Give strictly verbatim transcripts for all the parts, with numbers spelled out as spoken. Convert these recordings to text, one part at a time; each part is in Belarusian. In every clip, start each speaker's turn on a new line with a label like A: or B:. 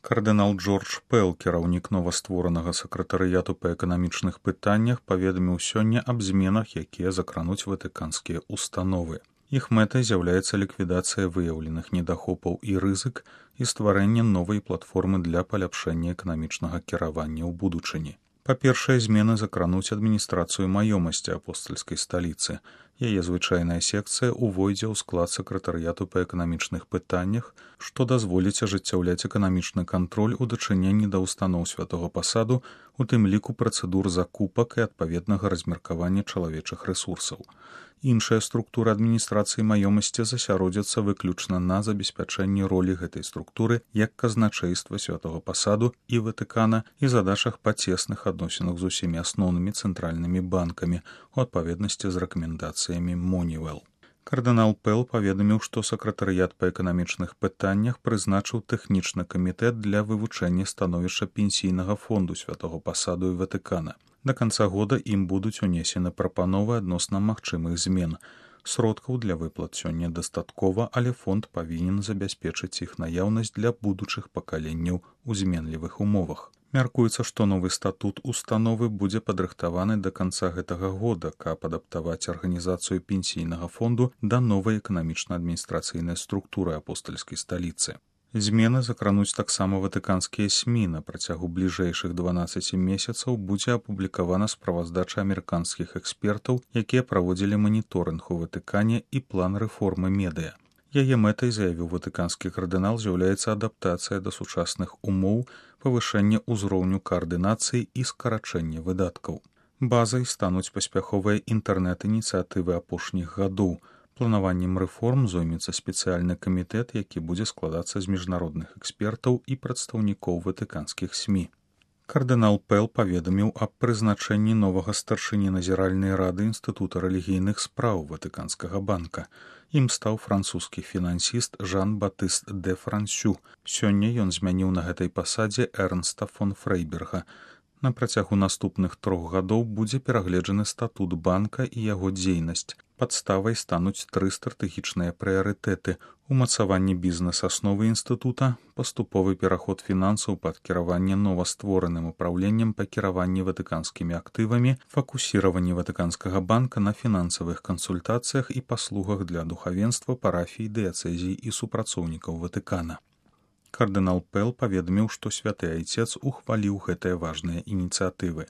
A: Кардынал Джордж Пэл, кіраўнік новастворанага сакратарыяту па эканамічных пытаннях, паведаміў сёння аб зменах, якія закрануць ватыканскія установы. Іх мэтай з'яўляецца ліквідацыя выяўленых недахопаў і рызык і стварэнне новай платформы для паляпшэння эканамічнага кіравання ў будучыні. Па-першае, змены закрануць адміністрацыю маёмасці апостальскай сталіцы. Яе звычайная секцыя ўвойдзе ў склад сакратарыяту па эканамічных пытаннях, што дазволіць ажыццяўляць эканамічны кантроль у дачыненні да ўстаноў святога пасаду, у тым ліку працэдур закупак і адпаведнага размеркавання чалавечых рэсурсаў. Іншая структура адміністрацыі маёмасці засяродзяцца выключна на забеспячэнні ролі гэтай структуры як казначэйства святога пасаду і Ватыкана і задачах па цесных адносінах з усімі асноўнымі цэнтральнымі банкамі у адпаведнасці з рэкамендацыямі Moneyval. Кардынал Пэл паведаміў, што сакратарыят па эканамічных пытаннях прызначыў тэхнічны камітэт для вывучэння становішча пенсійнага фонду святого пасаду і Ватыкана. Да канца года ім будуць унесены прапановы адносна магчымых змен. Сродкаў для выплат сёння дастаткова, але фонд павінен забяспечыць іх наяўнасць для будучых пакаленняў у зменлівых умовах. Мяркуецца, што новы статут установы будзе падрыхтаваны да канца гэтага года, каб адаптаваць арганізацыю пенсійнага фонду да новай эканамічна-адміністрацыйнай структуры апостальскай сталіцы. Змены закрануць таксама ватыканскія СМІ. На працягу бліжэйшых дванаццаці месяцаў будзе апублікавана справаздача амерыканскіх экспертаў, якія праводзілі маніторынг у Ватыкане і план рэформы медыа. Яе мэтай, заявіў ватыканскі кардынал, з'яўляецца адаптацыя да сучасных умоў, павышэнне ўзроўню каардынацыі і скарачэнне выдаткаў. Базай стануць паспяховыя інтэрнэт-ініцыятывы апошніх гадоў. Планаваннем рэформ зоймецца спецыяльны камітэт, які будзе складацца з міжнародных экспертаў і прадстаўнікоў ватыканскіх СМІ. Кардынал Пэл паведаміў аб прызначэнні новага старшыні назіральнай рады Інстытута рэлігійных спраў Ватыканскага банка. Ім стаў французскі фінансіст Жан-Батыст де Франсю. Сёння ён змяніў на гэтай пасадзе Эрнста фон Фрейберга. На працягу наступных трох гадоў будзе перагледжаны статут банка і яго дзейнасць. Падставай стануць тры стратэгічныя прыярытэты: умацаванне бізнес-асновы інстытута, паступовы пераход фінансаў пад кіраванне новаствораным упраўленнем па кіраванні ватыканскімі актывамі, фокусіраванне ватыканскага банка на фінансавых кансультацыях і паслугах для духавенства, парафій, дыяцэзій і супрацоўнікаў Ватыкана. Кардынал Пэл паведаміў, што святы айцец ухваліў гэтыя важныя ініцыятывы.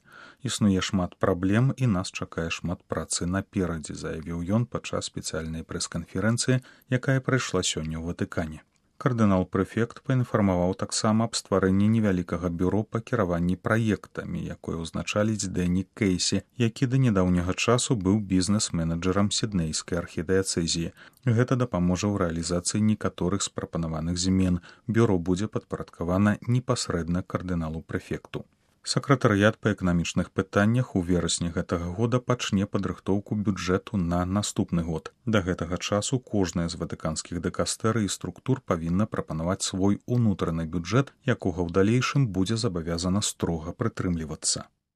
A: Існуе шмат праблем і нас чакае шмат працы наперадзе, заявіў ён падчас спецыяльнай прэс-канферэнцыі, якая прайшла сёння ў Ватыкане. Кардынал-прэфект паінфармаваў таксама аб стварэнні невялікага бюро па кіраванні праектамі, якое ўзначаліць Дэні Кейсі, які да нядаўняга часу быў бізнес-менеджерам сіднейскай архідыяцэзіі. Гэта дапаможа ў рэалізацыі некаторых з прапанаваных змен. Бюро будзе падпарадкавана непасрэдна кардыналу-прэфекту. Сакратарыят па эканамічных пытаннях у верасні гэтага года пачне падрыхтоўку бюджэту на наступны год. Да гэтага часу кожная з ватыканскіх дыкастэрый і структур павінна прапанаваць свой унутраны бюджэт, якога ў далейшым будзе забавязана строга прытрымлівацца.